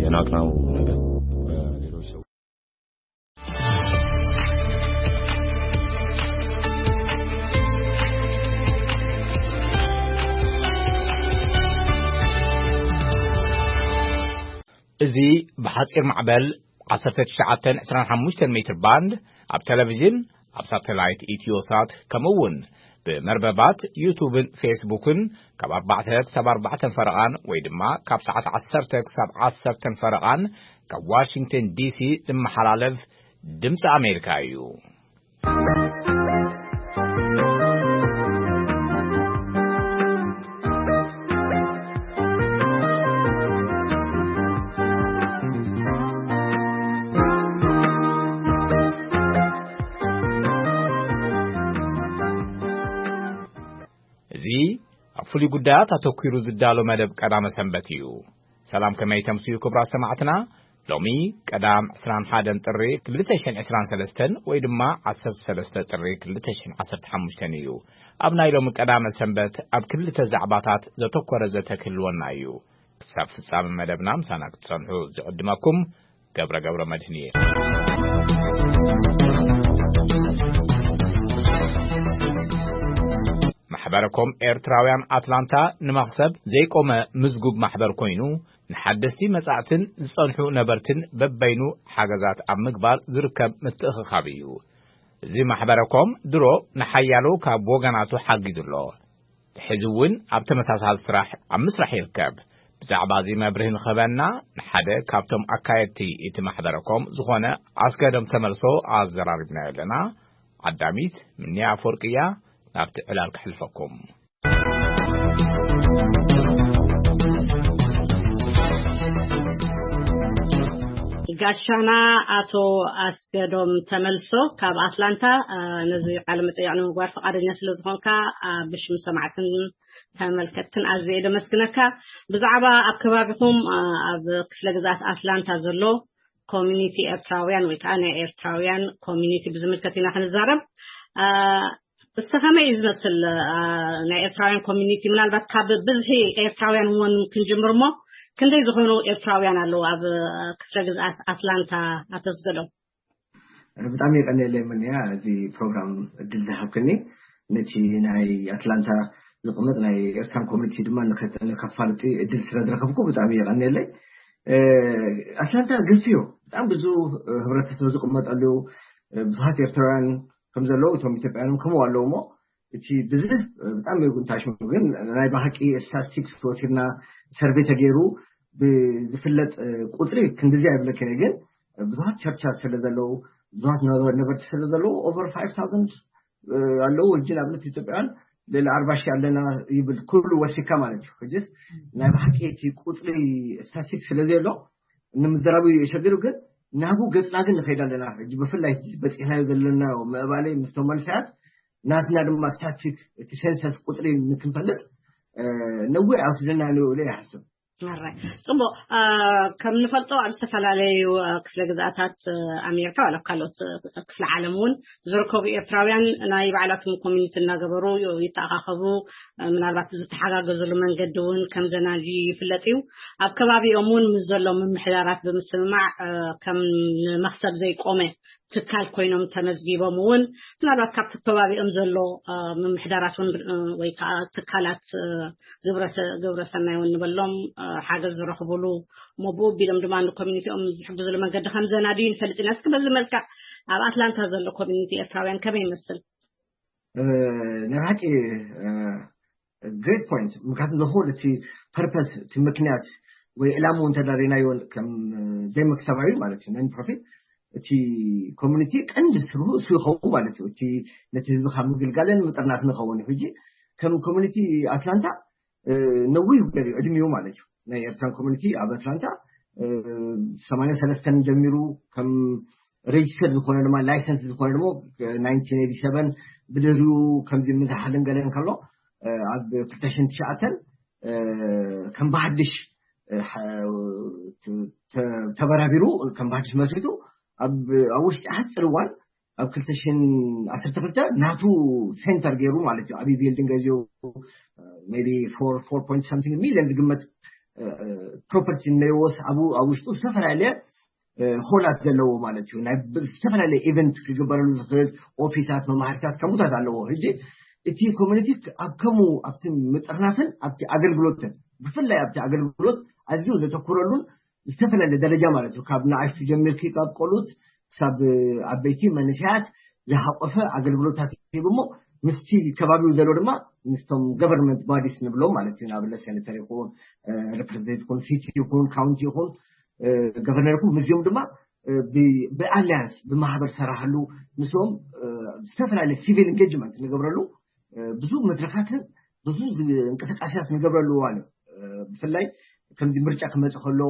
የናቅናው ነገር በሌሎች ሰው እዚ ብሓጺር ማዕበል ዓሰርተ ትሽዓተ ዕስራን ሓሙሽተን ሜትር ባንድ ኣብ ቴሌቪዥን፣ ኣብ ሳተላይት ኢትዮሳት፣ ከምኡ እውን ብመርበባት ዩቱብን ፌስቡክን ካብ ኣርባዕተ ክሳብ ኣርባዕተን ፈረቓን ወይ ድማ ካብ ሰዓት ዓሰርተ ክሳብ ዓሰርተን ፈረቓን ካብ ዋሽንግተን ዲሲ ዝመሓላለፍ ድምፂ ኣሜሪካ እዩ። እዚ ኣብ ፍሉይ ጉዳያት ኣተኲሩ ዝዳሎ መደብ ቀዳመ ሰንበት እዩ። ሰላም፣ ከመይ ተምስዩ ክቡራት ሰማዕትና? ሎሚ ቀዳም ዕስራን ሓደን ጥሪ ክልተ ሽሕን ዕስራን ሰለስተን ወይ ድማ ዓሰርተ ሰለስተ ጥሪ ክልተ ሽሕን ዓሰርተ ሓሙሽተን እዩ። ኣብ ናይ ሎሚ ቀዳመ ሰንበት ኣብ ክልተ ዛዕባታት ዘተኮረ ዘተ ክህልወና እዩ። ክሳብ ፍጻመ መደብና ምሳና ክትጸንሑ ዝዕድመኩም ገብረ ገብረ መድህን እየ። ማሕበረኮም ኤርትራውያን ኣትላንታ ንመኽሰብ ዘይቆመ ምዝጉብ ማሕበር ኮይኑ፣ ንሓደስቲ መጻእትን ዝጸንሑ ነበርትን በበይኑ ሓገዛት ኣብ ምግባር ዝርከብ ምትእኽኻብ እዩ። እዚ ማሕበረኮም ድሮ ንሓያሎ ካብ ወገናቱ ሓጊዙ ኣሎ። ሕዚ እውን ኣብ ተመሳሳሊ ስራሕ ኣብ ምስራሕ ይርከብ። ብዛዕባ እዚ መብርሂ ንኽህበና ንሓደ ካብቶም ኣካየድቲ እቲ ማሕበረኮም ዝኾነ ኣስገዶም ተመልሶ ኣዘራሪብናዮ ኣለና። ዓዳሚት ምንያ ኣፈወርቂ እያ። ናብቲ ዕላል ክሕልፈኩም። ጋሻና ኣቶ ኣስገዶም ተመልሶ ካብ ኣትላንታ፣ አ፣ ነዚ ቃለ መጠይቕ ንምግባር ፈቓደኛ ስለ ዝኾንካ፣ አ፣ ብሽም ሰማዕትን ተመልከትትን ኣዝየ ደመስግነካ። ብዛዕባ ኣብ ከባቢኹም፣ አ፣ ኣብ ክፍለ ግዝኣት ኣትላንታ ዘሎ ኮሚኒቲ ኤርትራውያን ወይ ከዓ ናይ ኤርትራውያን ኮሚኒቲ ብዝምልከት ኢና ክንዛረብ። አ፣ እስቲ ከመይ እዩ ዝመስል፣ አ፣ ናይ ኤርትራውያን ኮሚኒቲ? ምናልባት ካብ ብዝሒ ኤርትራውያን እውን ክንጅምር እሞ፣ ክንደይ ዝኾኑ ኤርትራውያን ኣለዉ ኣብ፣ አ፣ ክፍለ ግዝኣት ኣትላንታ? ኣቶ ኣስገዶም። ብጣዕሚ የቀንየለይ ምንያ፣ እዚ ፕሮግራም እድል ዝሃብክኒ፣ ነቲ ናይ ኣትላንታ ዝቕመጥ ናይ ኤርትራን ኮሚኒቲ ድማ ንኸ-፣ ንከፋልጥ እድል ስለ ዝረኸብኩ ብጣዕሚ የቀንየለይ። እ፣ ኣትላንታ ግልፂ እዩ፣ ብጣዕሚ ብዙ፣ እ፣ ህብረተሰብ ዝቕመጠሉ፣ እ፣ ብዙሃት ኤርትራውያን ከም ዘለዉ፣ እቶም ኢትዮጵያውያን ከምኡ ኣለዉ እሞ፣ እቲ ብዝሕ፣ እ፣ ብጣዕሚ እዩ ጉንታሽ። ግን ናይ ብሓቂ ስታቲስቲክስ ወሲድና፣ ሰርቬይ ተገይሩ ብዝፍለጥ፣ እ፣ ቁፅሪ ክንድዚ ኣይብለክን እየ። ግን ብዙሃት ቸርቻት ስለ ዘለዉ፣ ብዙሃት ነበ-፣ ነበርቲ ስለ ዘለዉ፣ ኦቨር ፋይቭ ታውዘንድ፣ እ፣ ኣለዉ። ሕጂ ንኣብነት ኢትዮጵያውያን ልዕሊ ኣርባ ሺሕ ኣለና ይብል፣ ኩሉ ወሲድካ ማለት እዩ። ሕጂስ ናይ ብሓቂ እቲ ቁፅሪ ስታቲስቲክስ ስለ ዘየሎ ንምዝራቡ እዩ የሸግር። ግን ናብኡ ገፅና ግን ንኸይድ ኣለና። ሕጂ ብፍላይ ሕጂ በፂሕናዮ ዘለና ምዕባለ ምስቶም መንእሰያት ናትና ድማ ስታቲስቲክ፣ እቲ ሴንሰስ ቁፅሪ ንክንፈልጥ፣ እ፣ ነዊሕ ኣይወስደና ንብሎ ይሓስብ። ኣራይ፣ ጽቡቕ። አ፣ ከም ንፈልጦ ኣብ ዝተፈላለዩ፣ አ፣ ክፍለ ግዝኣታት፣ አ፣ ኣሜሪካ ዋላ ኣብ ካልኦት፣ አ፣ ክፍለ ዓለም እውን ዝርከቡ ኤርትራውያን ናይ ባዕላቶም ኮሚኒቲ እናገበሩ ዩ-፣ ይተኣኻኸቡ። አ፣ ምናልባት ብዝተሓጋገዝሉ መንገዲ እውን ከም ዘናድዩ ይፍለጥ እዩ። ኣብ ከባቢኦም እውን ምስ ዘሎ ምምሕዳራት ብምስምማዕ፣ አ፣ ከም ንመኽሰብ ዘይቆመ ትካል ኮይኖም ተመዝጊቦም እውን ምናልባት ካብቲ ከባቢኦም ዘሎ፣ አ፣ ምምሕዳራት እውን፣ አ፣ ወይ ከዓ ትካላት፣ አ፣ ግብረ ሰ-፣ ግብረ ሰናይ እውን ንበሎም፣ አ፣ ሓገዝ ዝረኽቡሉ እሞ ብኡ ኣቢሎም ድማ ንኮሚኒቲኦም ዝሕግዙሉ መንገዲ ከም ዘናድዩ ንፈልጥ ኢና። እስኪ በዚ መልክዕ ኣብ ኣትላንታ ዘሎ ኮሚኒቲ ኤርትራውያን ከመይ ይመስል? እ፣ ናይ ብሓቂ፣ እ፣ ግሬት ፖይንት። ምክንያቱ ዘሆል እቲ ፐርፐስ፣ እቲ ምክንያት ወይ ዕላምኡ እንተዳሪናዮ ከም፣ እ፣ ዘይመክሰባዊ ማለት እዩ፣ ነን ፕሮፊት፣ እቲ ኮሚኒቲ ቀንዲ ስርሑ እሱ ይኸውን ማለት እዩ። እቲ ነቲ ህዝቢ ካብ ምግልጋልን ምጥርናፍን ይኸውን እዩ። ሕጂ ከም ኮሚኒቲ ኣትላንታ፣ እ፣ ነዊህ ገር እዩ ዕድሜኡ ማለት እዩ። ናይ ኤርትራን ኮሚኒቲ ኣብ ኣትላንታ፣ እ፣ ሰማንያ ሰለስተን ጀሚሩ ከም ሬጅስተር ዝኾነ ድማ፣ ላይሰንስ ዝኾነ ድማ፣ እ፣ ናይንቲን ኤይቲ ሰቨን ብድሕሪኡ ከምዚ ምዝሓልን ገለን ከሎ፣ እ፣ ኣብ ክልተ ሽሕን ትሽዓተን፣ እ፣ ከም ብሓድሽ፣ እ፣ ሓ-፣ ተ-፣ ተ-፣ ተበራቢሩ ከም ብሓድሽ መስሪቱ ኣብ፣ ኣብ ውሽጢ ሓፂር እዋን ኣብ ክልተ ሽሕን ዓሰርተ ክልተ ናቱ ሴንተር ገይሩ ማለት እዩ። ዓብዪ ቢልዲንግ ገዚኡ፣ ሜቢ ፎር፣ ፎር ፖይንት ሳምቲንግ ሚሊዮን ዝግመት፣ እ፣ እ፣ ፕሮፐርቲ እነይወስ ኣብኡ ኣብ ውሽጡ ዝተፈላለየ ሆላት ዘለዎ ማለት እዩ። ናይ ዝተፈላለየ ኢቨንት ክግበረሉ ዝኽእል ኦፊሳት፣ መማህርታት፣ ከምኡታት ኣለዎ። ሕጂ እቲ ኮሚኒቲ ኣብ ከምኡ ኣብቲ ምጥርናፍን ኣብቲ ኣገልግሎትን፣ ብፍላይ ኣብቲ ኣገልግሎት ኣዝዩ ዘተኩረሉን ዝተፈላለየ ደረጃ ማለት እዩ። ካብ ንኣሽቱ ጀሚርኪ ካብ ቆሉት ክሳብ ዓበይቲ መንእሰያት ዝሓቆፈ ኣገልግሎታት ሂቡ እሞ ምስቲ ከባቢው ዘሎ ድማ ምስቶም ገቨርንመንት ባዲስ ንብሎም ማለት እዩ። ንኣብነት ሴኔተር ይኹን፣ ሪፕሬዘንት ይኹን፣ ሲቲ ይኹን፣ ካውንቲ ይኹን፣ ገቨርነር ይኹን፣ ምስዚኦም ድማ ብኣሊያንስ ብማህበር ሰራሕሉ፣ ምስኦም ዝተፈላለየ ሲቪል ኢንጌጅመንት ንገብረሉ ብዙ መድረካትን ብዙ እንቅስቃሴታት ንገብረሉ እዋን እዩ። ብፍላይ ከምዚ ምርጫ ክመፅእ ከሎ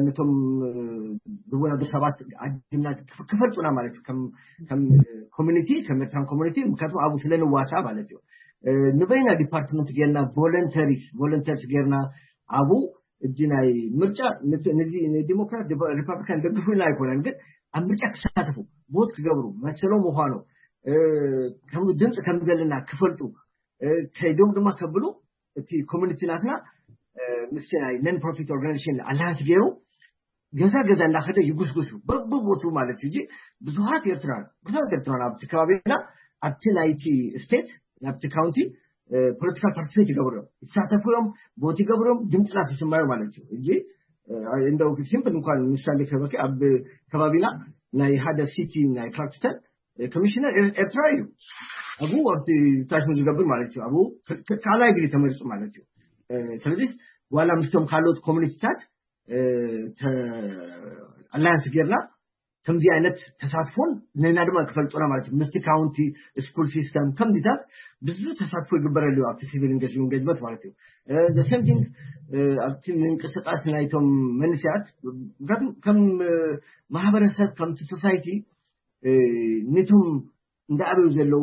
ነቶም ዝወዳደሩ ሰባት ዓዲምና ክፈልጡና ማለት እዩ። ከም ኮሚኒቲ፣ ከም ኤርትራን ኮሚኒቲ፣ ምክንያቱም ኣብኡ ስለ ንዋሳ ማለት እዩ። ንበይና ዲፓርትመንት ጌርና ቮለንተሪ ቮለንተርስ ጌርና ኣብኡ እጂ ናይ ምርጫ ነዚ ንዲሞክራት ሪፓብሊካን ደግፉ ኢልና ኣይኮነን፣ ግን ኣብ ምርጫ ክሳተፉ፣ ቮት ክገብሩ፣ መሰሎም ምዃኑ፣ ከም ድምፂ ከም ዘለና ክፈልጡ፣ ከይዶም ድማ ከብሉ እቲ ኮሚኒቲ ናትና ምስቲ ናይ ነን ፕሮፊት ኦርጋናይዜሽን ኣላያንስ ገይሩ ገዛ ገዛ እንዳኸደ ይጉስጉሱ በብቦቱ ማለት እዩ። እጂ ብዙሃት ኤርትራን ብዙሃት ኤርትራን ኣብቲ ከባቢና ኣብቲ ናይቲ ስቴት ናብቲ ካውንቲ ፖለቲካል ፓርቲስፔት ይገብሩ እዮም፣ ይሳተፉ እዮም፣ ቦት ይገብሩ እዮም፣ ድምፅና ትስማዩ ማለት እዩ። እጂ እንደው ሲምፕል እንኳን ምሳሌ ከበኪ ኣብ ከባቢና ናይ ሓደ ሲቲ ናይ ክላርክስተን ኮሚሽነር ኤርትራ እዩ። ኣብኡ ኣብቲ ታሽሙ ዝገብር ማለት እዩ። ኣብኡ ካልኣይ ግዜ ተመሪፁ ማለት እዩ። ስለዚ ዋላ ምስቶም ካልኦት ኮሚኒቲታት ኣላያንስ ጌርና ከምዚ ዓይነት ተሳትፎን ንና ድማ ክፈልጡና ማለት እዩ። ምስቲ ካውንቲ ስኩል ሲስተም ከምዚታት ብዙ ተሳትፎ ይግበረሉ እዩ ኣብቲ ሲቪል ኢንጌጅመንት ማለት እዩ። ሰምቲንግ ኣብቲ ምንቅስቃስ ናይቶም መንስያት ከም ማህበረሰብ ከምቲ ሶሳይቲ ነቶም እንዳኣበዩ ዘለዉ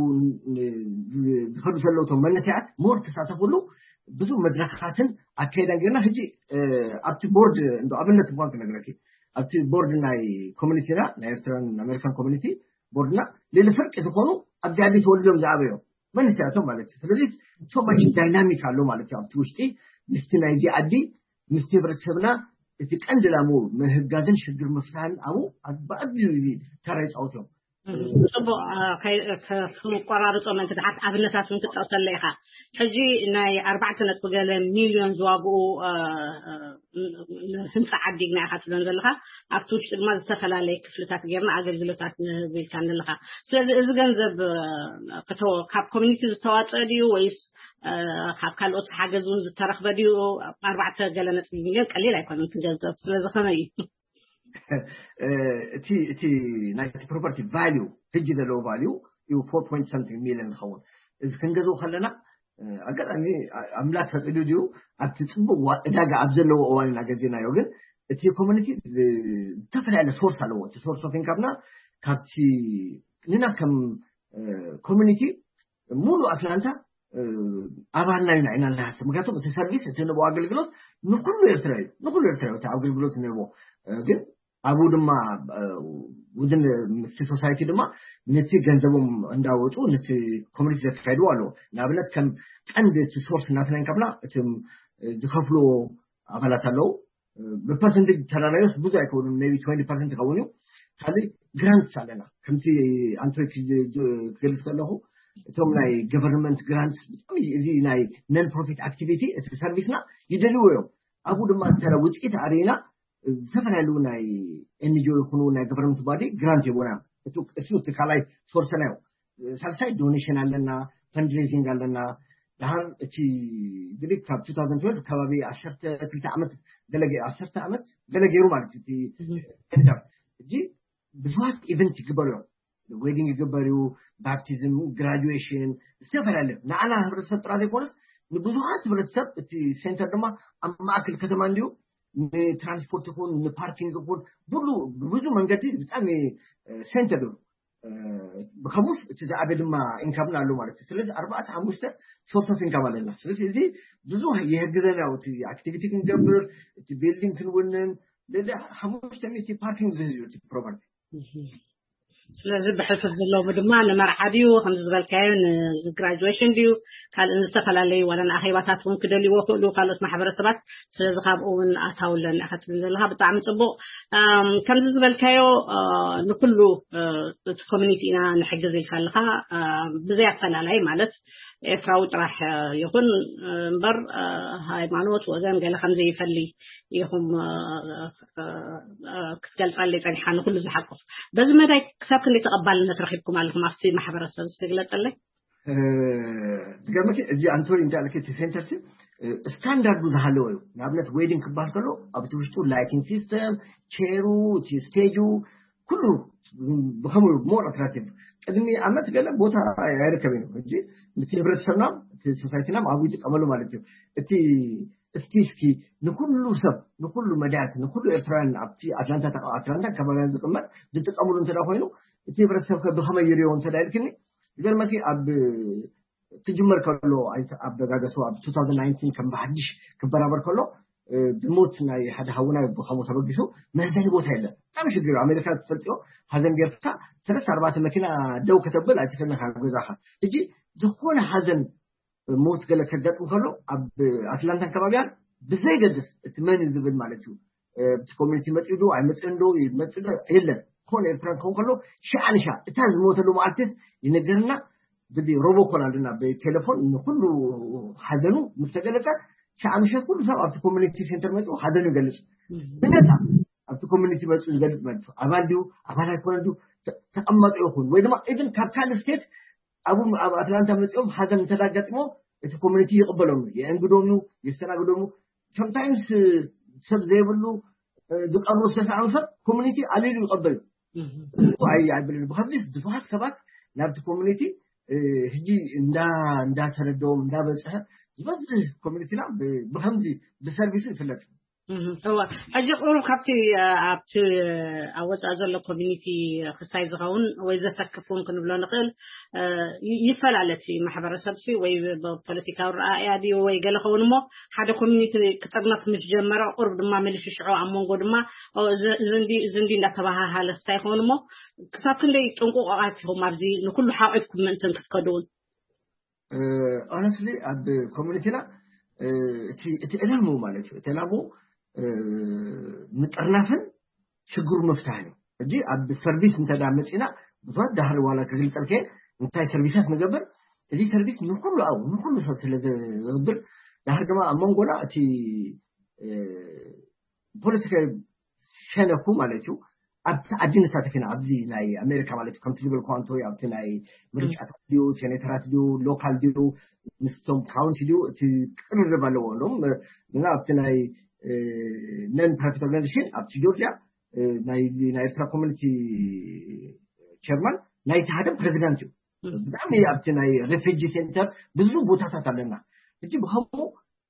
ዝኸዱ ዘለዉ እቶም መንስያት ሞር ተሳተፍሉ ብዙ መድረኻትን ኣካይዳን ጌርና። ሕጂ ኣብቲ ቦርድ እንዶ ኣብነት እንኳን ክነግረኪ ኣብቲ ቦርድ ናይ ኮሚኒቲና ናይ ኤርትራን ኣሜሪካን ኮሚኒቲ ቦርድና ልዕሊ ፍርቂ ዝኾኑ ኣብዚ ዓዲ ተወልዶም ዝኣበዮም መንስያቶም ማለት እዩ። ስለዚ ሶማሽ ዳይናሚክ ኣሎ ማለት እዩ ኣብቲ ውሽጢ ምስቲ ናይዚ ዓዲ ምስቲ ህብረተሰብና እቲ ቀንዲ ላሙ ምህጋዝን ሽግር ምፍታን ኣብኡ ብዓብዩ እዚ ተራ ይፃወት እዮም። ጽቡቕ። ክቆራርጾ ምእንቲ ድሓት ኣብነታት እውን ክትጠቕሰለ ኢኻ። ሕጂ ናይ ኣርባዕተ ነጥቢ ገለ ሚልዮን ዝዋግኡ ህንፃ ዓዲግና ኢኻ ትብለን ዘለኻ ኣብቲ ውሽጢ ድማ ዝተፈላለየ ክፍልታት ጌርና ኣገልግሎታት ንህብ ኢልካ ዘለኻ። ስለዚ እዚ ገንዘብ ካብ ኮሚኒቲ ዝተዋፀአ ድዩ ወይስ ካብ ካልኦት ሓገዝ እውን ዝተረኽበ ድዩ? ኣርባዕተ ገለ ነጥቢ ሚልዮን ቀሊል ኣይኮነን እቲ ገንዘብ። ስለዚ ከመይ እዩ? እቲ እቲ ናይቲ ፕሮፐርቲ ቫልዩ ሕጂ ዘለዎ ቫልዩ እዩ ፎር ፖይንት ሰምቲንግ ሚልዮን ዝኸውን። እዚ ክንገዝኡ ከለና ኣጋጣሚ ኣምላክ ፈቂዱ ድዩ ኣብቲ ፅቡቅ ዕዳጋ ኣብ ዘለዎ እዋን ኢና ገዚእናዮ። ግን እቲ ኮሚኒቲ ዝተፈላለየ ሶርስ ኣለዎ። እቲ ሶርስ ኦፍ ኢንካምና ካብቲ ንና ከም ኮሚኒቲ ሙሉ ኣትላንታ ኣባልና ኢና ኢና ንሓስብ። ምክንያቱም እቲ ሰርቪስ እቲ ንቦ ኣገልግሎት ንኩሉ ኤርትራ እዩ፣ ንኩሉ ኤርትራ እዩ እቲ ኣገልግሎት ንቦ። ግን ኣብኡ ድማ ውድን ምስቲ ሶሳይቲ ድማ ነቲ ገንዘቦም እንዳወፁ ነቲ ኮሚኒቲ ዘካይድዎ ኣለዎ። ንኣብነት ከም ቀንዲ እቲ ሶርስ ናትና ኢንካምና እቲ ዝከፍልዎ ኣባላት ኣለዉ። ብፐርሰንቴጅ ተራራዮስ ብዙ ኣይከውንን፣ ቢ ትወንቲ ፐርሰንት ይኸውን እዩ። ካልእ ግራንት ኣለና። ከምቲ ኣንቶይ ክገልፅ ከለኹ እቶም ናይ ገቨርንመንት ግራንት ብጣዕሚ እዚ ናይ ነን ፕሮፊት ኣክቲቪቲ እቲ ሰርቪስና ይደልዎ እዮም። ኣብኡ ድማ እንተ ውፅኢት ኣርኢና ዝተፈላለዩ ናይ ኤንጂኦ ይኹኑ ናይ ገቨርንመንት ባዲ ግራንት ይቦና። እሱ እቲ ካልኣይ ሶርሰና እዩ። ሳልሳይ ዶኔሽን ኣለና፣ ፈንድሬዚንግ ኣለና። ድሃር እቲ ግዲ ካብ ቱ ታውዘንድ ትወልቭ ከባቢ ዓሰርተ ክልተ ዓመት ገለ ገ- ዓሰርተ ዓመት ገለ ገይሩ ማለት እዩ። እቲ ሴንተር እጂ ብዙሃት ኢቨንት ይግበሩ እዮም። ዌዲንግ ይግበር እዩ፣ ባፕቲዝም፣ ግራጁዌሽን፣ ዝተፈላለዩ ንዓና ህብረተሰብ ጥራ ዘይኮነስ ንብዙሃት ህብረተሰብ። እቲ ሴንተር ድማ ኣብ ማእከል ከተማ እንዲሁ ንትራንስፖርት ይኹን ንፓርኪንግ ይኹን ብሉ ብብዙ መንገዲ ብጣዕሚ ሴንተር እዩ። ብከምኡስ እቲ ዝዓበ ድማ ኢንካምና ኣሎ ማለት እዩ። ስለዚ ኣርባዕተ ሓሙሽተ ሶርስ ኦፍ ኢንካም ኣለና። ስለዚ እዚ ብዙ ይሕግዘና እዩ። እቲ ኣክቲቪቲ ክንገብር፣ እቲ ቢልዲንግ ክንውንን፣ ልዕሊ ሓሙሽተ ሚእቲ ፓርኪንግ ዝህዝ እዩ እቲ ፕሮፐርቲ። ስለዚ ብሕልፍፍ ዘለዎም ድማ ንመርዓ ድዩ ከምዚ ዝበልካዮ ንግራጁዌሽን ድዩ ካልእ ዝተፈላለዩ ዋላ ንኣኼባታት እውን ክደልይዎ ክእሉ ካልኦት ማሕበረሰባት። ስለዚ ካብኡ እውን ኣታውለን ኢኻ ትብል ዘለኻ ብጣዕሚ ፅቡቅ። ከምዚ ዝበልካዮ ንኩሉ እቲ ኮሚኒቲ ኢና ንሕግዝ ኢልካ ኣለካ። ብዘይ ኣፈላላይ ማለት ኤርትራዊ ጥራሕ ይኹን እምበር ሃይማኖት ወገን ገለ ከምዘይፈሊ ኢኹም ክትገልጻለይ ጸኒሓ ንኩሉ ዝሓቁፍ። በዚ መዳይ ክሳብ ክንደይ ተቐባልነት ረኺብኩም ኣለኹም ኣብቲ ማሕበረሰብ እስቲ ግለጸለይ። ትገርመኪ እዚ ኣንቶኒ እንዳለኪ እቲ ሴንተር ሲ ስታንዳርዱ ዝሃለወ እዩ። ንኣብነት ዌዲንግ ክበሃል ከሎ ኣብቲ ውሽጡ ላይቲንግ ሲስተም፣ ቼሩ፣ እቲ ስቴጁ ኩሉ ብከምኡ ሞር ኣትራክቲቭ። ቅድሚ ዓመት ገለ ቦታ ኣይርከብን እዩ። ሕጂ እቲ ህብረተሰብና እቲ ሶሳይቲና ኣብኡ ይጥቀመሉ ማለት እዩ። እቲ እስኪ እስኪ ንኩሉ ሰብ ንኩሉ መዳያት ንኩሉ ኤርትራውያን ኣብቲ ኣትላንታ ኣትላንታ ከባቢያን ዝቅመጥ ዝጥቀምሉ እንተ ኮይኑ እቲ ህብረተሰብ ከ ብከመይ ይሪኦ እንተ ኢልክኒ ዝገርመኪ ኣብ ክጅመር ከሎ ኣበጋገሱ ኣብ 2019 ከም ብሓድሽ ክበራበር ከሎ ብሞት ናይ ሓደ ሃውና ብከምኡ ተበጊሱ መህዘኒ ቦታ የለን። ብጣዕሚ ሽግር እዩ። ኣሜሪካ ትፈልጥዮ ሃዘን ጌርካ ሰለስተ ኣርባዕተ መኪና ደው ከተብል ኣይትኽእልን ካብ ገዛኻ። ሕጂ ዝኾነ ሃዘን ሞት ገለ ከጋጥም ከሎ ኣብ ኣትላንታን ከባቢያን ብዘይገድስ እቲ መን እዩ ዝብል ማለት እዩ እቲ ኮሚኒቲ መፅኡ ዶ ኣይመፅእን ዶ ይመፅእ ዶ የለን። ዝኾነ ኤርትራ ክኸውን ከሎ ሻዓ ንሻ እታ ዝሞተሉ መዓልቲ ይነገርና። ብዚ ሮቦኮል ኣለና ብቴሌፎን ንኩሉ ሓዘኑ ምስ ተገለጸ ሻዓ ምሸት ኩሉ ሰብ ኣብቲ ኮሚኒቲ ሴንተር መፅኡ ሓዘኑ ይገልፅ። ብነፃ ኣብቲ ኮሚኒቲ መፅኡ ዝገልፅ ማለት እዩ። ኣባል ድዩ ኣባል ኣይኮነ ድዩ ተቐመጡ ይኹን ወይ ድማ ኢቭን ካብ ካልእ ስቴት ኣብ ኣብ ኣትላንታ መፅኦም ሓዘን እንተዳጋጥሞ እቲ ኮሚኒቲ ይቕበሎም የእንግዶም እዩ የስተናግዶም። ሰምታይምስ ሰብ ዘይብሉ ዝቀርቡ ዝተሰዓኑ ሰብ ኮሚኒቲ ኣሊሉ ይቐበል። ኣይ ኣይብልን ብከዚ ብዙሓት ሰባት ናብቲ ኮሚኒቲ ሕጂ እንዳ እንዳተረደዎም እንዳበፅሐ ዝበዝሕ ኮሚኒቲና ብከምዚ ብሰርቪስ ይፍለጥ። እዋ ሕጂ ቁሩብ ካብቲ ኣብቲ ኣብ ወፃኢ ዘሎ ኮሚኒቲ ክስታይ ዝኸውን ወይ ዘሰክፍ እውን ክንብሎ ንኽእል ይፈላለ እቲ ማሕበረሰብ ሲ ወይ ብፖለቲካዊ ረኣያ ድዩ ወይ ገለ ኸውን እሞ ሓደ ኮሚኒቲ ክጥርነፍ ምስ ጀመረ ቁሩብ ድማ መሊሱ ሽዑ ኣብ መንጎ ድማ እዚ እንዲ እንዳተባሃሃለ ክስታይ ይኸውን እሞ ክሳብ ክንደይ ጥንቁቆቃት ኢኹም ኣብዚ ንኩሉ ሓቂፍኩም ምእንትን ክትከዱ እውን ኦነስትሊ ኣብ ኮሚኒቲና እቲ ዕላምኡ ማለት እዩ እቲ ዕላምኡ ምጥርናፍን ሽግሩ ምፍታሕን እዩ። ሕጂ ኣብ ሰርቪስ እንተ መፂና ብዙት ዳህሪ ዋላ ክግልፀልከ እንታይ ሰርቪሳት ንገብር እዚ ሰርቪስ ንኩሉ ኣብ ንኩሉ ሰብ ስለ ዝገብር ዳህሪ ድማ ኣብ መንጎና እቲ ፖለቲካዊ ሸነኩ ማለት እዩ። ኣብቲ ዓዲ ንሳተፍ ኢና ኣብዚ ናይ ኣሜሪካ ማለት እዩ ከምቲ ዝበልኩ ኣንቶይ ኣብቲ ናይ ምርጫታት ድዩ ሴኔተራት ድዩ ሎካል ድዩ ምስቶም ካውንቲ ድዩ እቲ ቅርርብ ኣለዎ ሎም እና ኣብቲ ናይ ነን ፕሮፊት ኦርጋኒዜሽን ኣብቲ ጆርጂያ ናይ ናይ ኤርትራ ኮሚኒቲ ቸርማን ናይቲ ሓደ ፕሬዚዳንት እዩ። ብጣዕሚ ኣብቲ ናይ ሬፊጂ ሴንተር ብዙ ቦታታት ኣለና። ሕጂ ብከምኡ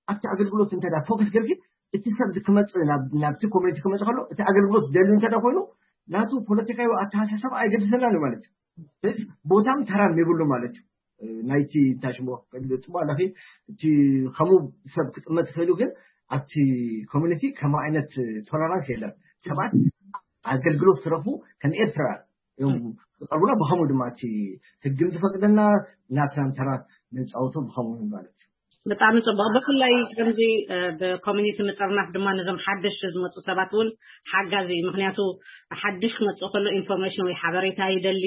ኣብቲ ኣገልግሎት እንተ ፎከስ ገርኪ እቲ ሰብ ክመፅእ ናብቲ ኮሚኒቲ ክመፅእ ከሎ እቲ ኣገልግሎት ደልዩ እንተ ኮይኑ ናቱ ፖለቲካዊ ኣተሓሳሰብ ኣይገድሰናን ማለት እዩ። ስለዚ ቦታም ተራም የብሉ ማለት እዩ። ናይቲ እንታይ ሽሞ ጽቡቅ ኣለኺ እቲ ከምኡ ሰብ ክጥመት ይኽእሉ ግን ኣብቲ ኮሚኒቲ ከም ዓይነት ቶለራንስ የለን። ሰባት ኣገልግሎት ክረኽቡ ከም ኤርትራውያን እዮም ዝቀርቡና። ብኸምኡ ድማ እቲ ህግም ዝፈቅደና ናትናን ተራ ንፃወቶ ብኸምኡ ማለት እዩ። ብጣዕሚ ፅቡቅ። ብፍላይ ከምዚ ብኮሚኒቲ ምጥርናፍ ድማ ነዞም ሓደሽቲ ዝመፁ ሰባት እውን ሓጋዚ እዩ። ምክንያቱ ሓድሽ ክመፅእ ከሎ ኢንፎርሜሽን ወይ ሓበሬታ ይደሊ፣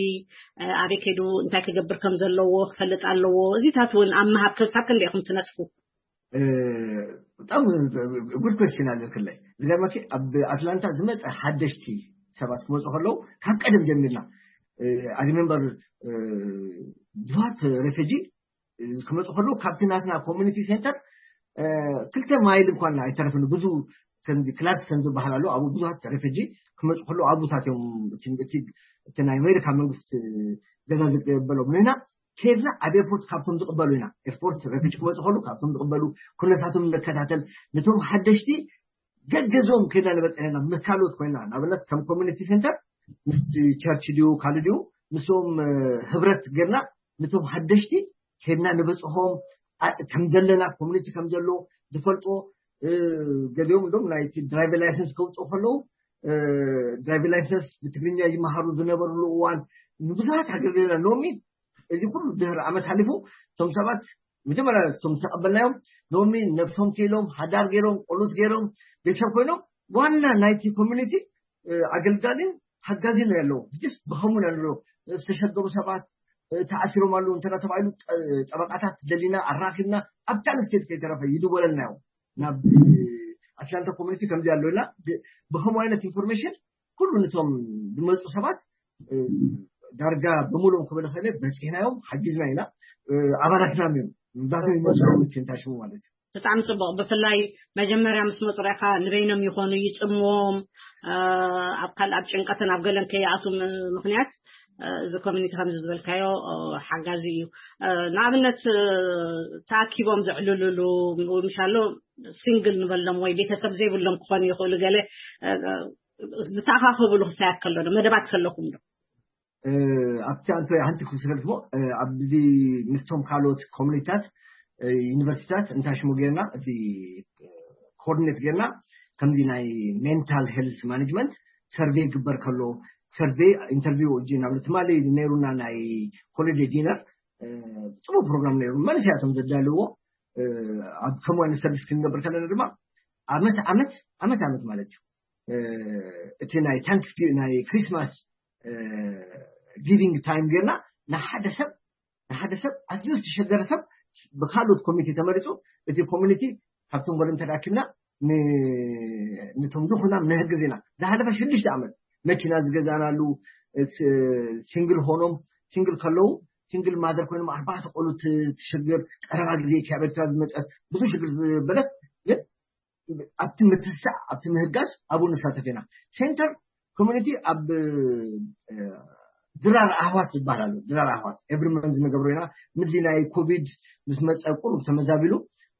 ኣበይ ከይዱ እንታይ ክገብር ከም ዘለዎ ክፈልጥ ኣለዎ። እዚታት እውን ኣብ ምሃብ ክሳብ ክንደይ ኢኹም ትነጥፉ? ብጣም ጉድ ኮስችን ኣለክለይ ዝገርመኪ ኣብ ኣትላንታ ዝመፀ ሓደሽቲ ሰባት ክመፁ ከለዉ ካብ ቀደም ጀሚርና ኣግመንበር ብዙሃት ሬፊጂ ክመፁ ከለዉ ካብቲ ናትና ኮሚኒቲ ሴንተር ክልተ ማይል እንኳን ኣይተረፍን ብዙ ከምዚ ክላርክስተን ዝበሃል ኣሎ ኣብኡ ብዙሃት ሬፊጂ ክመፁ ከለዉ ኣብኡታት እዮም እቲ ናይ ኣሜሪካ መንግስቲ ገዛ ዝቀበሎም ንሕና ከድና ኣብ ኤርፖርት ካብቶም ዝቕበሉ ኢና። ኤርፖርት ረፊጅ ክመፁ ከሉ ካብቶም ዝቕበሉ ኩነታቶም ንከታተል። ነቶም ሓደሽቲ ገገዞም ከድና ንበፅሕ ኢና። መካሎት ኮይና ንኣብነት ከም ኮሚኒቲ ሴንተር ምስ ቸርች ድዩ ካልእ ድዩ ምስኦም ህብረት ገርና ነቶም ሓደሽቲ ከድና ንበፅሖም ከም ዘለና ኮሚኒቲ ከም ዘሎ ዝፈልጦ ገሊኦም እንዶም ናይቲ ድራይቨር ላይሰንስ ከውፅኡ ከለዉ ድራይቪንግ ላይሰንስ ብትግርኛ ይመሃሩ ዝነበርሉ እዋን ንብዙሓት ኣገልግልና። ሎሚ እዚ ኩሉ ድህር ዓመት ሓሊፉ እቶም ሰባት መጀመርያ እቶም ዝተቐበልናዮም ሎሚ ነብሶም ክኢሎም፣ ሓዳር ገይሮም፣ ቆሉት ገይሮም፣ ቤተሰብ ኮይኖም ዋና ናይቲ ኮሚኒቲ ኣገልጋሊን ሓጋዚን ነው ያለው። ስ ብኸሙ ነው ያለው። ዝተሸገሩ ሰባት ተዓሲሮም ኣለዉ እንተ ተባሂሉ ጠበቃታት ደሊና ኣራኪብና ኣብ ካልእ ስቴት ከይተረፈ ይድወለልና እዮም። ናብ ኣትላንታ ኮሚኒቲ ከምዚ ኣሎ ኢልና ብኸምኡ ዓይነት ኢንፎርሜሽን ኩሉ ነቶም ዝመፁ ሰባት ዳርጋ ብምሎም ክበለ ከለ በፂሕናዮም ሓጊዝና ኢና። ኣባላትና እዮም ምዛቶም ይመፁ ምትንታሽሙ ማለት እዩ። ብጣዕሚ ጽቡቕ። ብፍላይ መጀመርያ ምስ መጹ ርኢኻ ንበይኖም ይኾኑ፣ ይጽምዎም፣ ኣብ ካልእ ኣብ ጭንቀትን ኣብ ገለን ከይኣቱ ምኽንያት እዚ ኮሚኒቲ ከምዚ ዝበልካዮ ሓጋዚ እዩ። ንኣብነት ተኣኪቦም ዘዕልሉሉ፣ ምሻሎ ሲንግል ንበሎም ወይ ቤተሰብ ዘይብሎም ክኾኑ ይኽእሉ፣ ገለ ዝተኣኻኸብሉ ክሳያት ከሎ ዶ መደባት ከለኹም ዶ? ኣብቲ ኣንተ ሓንቲ ክስረልክሞ ኣብዚ ምስቶም ካልኦት ኮሚኒታት ዩኒቨርሲታት እንታይ ሽሙ ጌርና እቲ ኮኦርዲኔት ጌርና ከምዚ ናይ ሜንታል ሄልስ ማኔጅመንት ሰርቬይ ግበር ከሎ ሰርቬይ ኢንተርቪው እጂ ናብ ትማሊ ነይሩና ናይ ኮሌጅ ዲነር ጽቡቅ ፕሮግራም ነይሩ። መንስያቶም ዘዳልዎ ኣብ ከምኡ ዓይነት ሰርቪስ ክንገብር ከለና ድማ ዓመት ዓመት ዓመት ዓመት ማለት እዩ እቲ ናይ ታንክስ ናይ ክሪስማስ ጊቪንግ ታይም ጌርና ንሓደ ሰብ ንሓደ ሰብ ኣዝዩ ዝተሸገረ ሰብ ብካልኦት ኮሚቴ ተመሪፁ እቲ ኮሚኒቲ ካብቶም ጎደን ተዳኪብና ንቶም ድኹናም ንህግዝ ኢና። ዝሓለፈ ሽዱሽተ ዓመት መኪና ዝገዛናሉ ሲንግል ሆኖም ሲንግል ከለዉ ሲንግል ማዘር ኮይኖም ኣርባዕተ ቆሉ ትሽግር ቀረባ ግዜ ካብ ኤርትራ ዝመፀት ብዙ ሽግር ዝበለት ግን ኣብቲ ምትስዕ ኣብቲ ምህጋዝ ኣብኡ ንሳተፍ ኢና። ሴንተር ኮሚኒቲ ኣብ ድራር ኣህዋት ዝበሃል ኣሎ። ድራር ኣህዋት ኤቭሪ መንዝ ንገብሮ ኢና። ምድሊ ናይ ኮቪድ ምስ መፀ ቁሩብ ተመዛቢሉ